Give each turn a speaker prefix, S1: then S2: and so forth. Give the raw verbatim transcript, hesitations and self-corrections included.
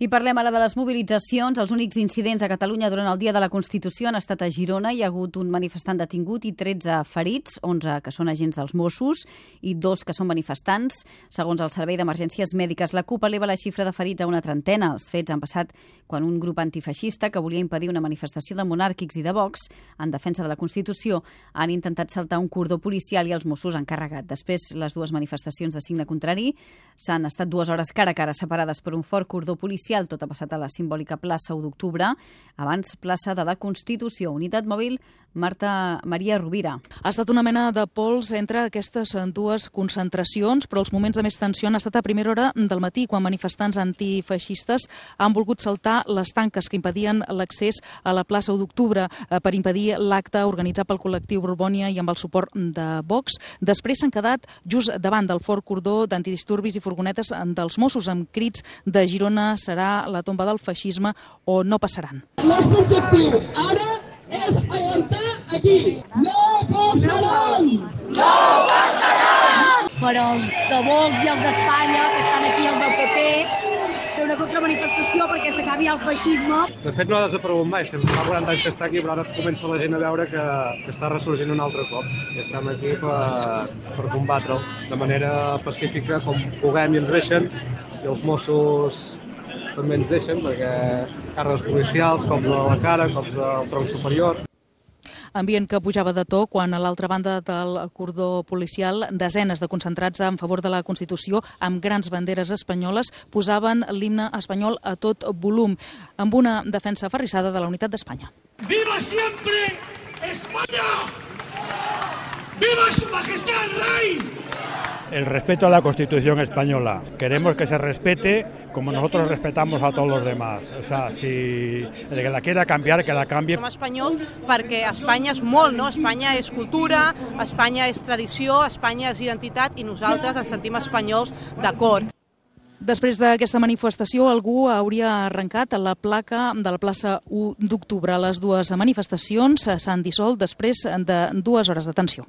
S1: I parlem ara de les mobilitzacions. Els únics incidents a Catalunya durant el Dia de la Constitució han estat a Girona. Hi ha hagut un manifestant detingut i tretze ferits, onze que són agents dels Mossos i dos que són manifestants. Segons el Servei d'Emergències Mèdiques, la CUP eleva la xifra de ferits a una trentena. Els fets han passat quan un grup antifeixista que volia impedir una manifestació de monàrquics i de Vox en defensa de la Constitució han intentat saltar un cordó policial i els Mossos han carregat. Després, les dues manifestacions de signe contrari s'han estat dues hores cara a cara separades per un fort cordó policial. Tot ha passat a la simbòlica plaça u d'octubre, abans plaça de la Constitució. Unitat mòbil, Marta Maria Rovira.
S2: Ha estat una mena de pols entre aquestes dues concentracions, però els moments de més tensió han estat a primera hora del matí, quan manifestants antifeixistes han volgut saltar les tanques que impedien l'accés a la plaça u d'octubre per impedir l'acte organitzat pel col·lectiu Borbònia i amb el suport de Vox. Després s'han quedat just davant del fort cordó d'antidisturbis i furgonetes dels Mossos amb crits de Girona serà la tomba del feixisme o no passaran.
S3: El nostre objectiu ara és aguantar aquí. No passaran!
S4: No passaran!
S5: Però els de Vox i els d'Espanya, que estan aquí, els del P P, fer una contramanifestació perquè s'acabi el feixisme.
S6: De fet, no ha desaparegut mai. Sempre fa quaranta anys que està aquí, però ara comença la gent a veure que, que està ressorgint un altre cop. I estem aquí per, per combatre'l de manera pacífica, com puguem i ens deixen. I els Mossos també ens deixen, perquè càrregues policials, cops a la cara, cops al tronc superior.
S2: Ambient que pujava de to quan a l'altra banda del cordó policial desenes de concentrats en favor de la Constitució amb grans banderes espanyoles posaven l'himne espanyol a tot volum, amb una defensa aferrissada de la unitat d'Espanya.
S3: ¡Viva siempre España! ¡Viva su majestad el rey!
S7: El respeto a la Constitución española. Queremos que se respete como nosotros respetamos a todos los demás. O sea, si el que la quiera cambiar, que la cambie.
S8: Som espanyols perquè Espanya és molt, no? Espanya és cultura, Espanya és tradició, Espanya és identitat i nosaltres ens sentim espanyols d'acord.
S2: Després d'aquesta manifestació, algú hauria arrencat la placa de la plaça u d'octubre. Les dues manifestacions s'han dissolt després de dues hores de tensió.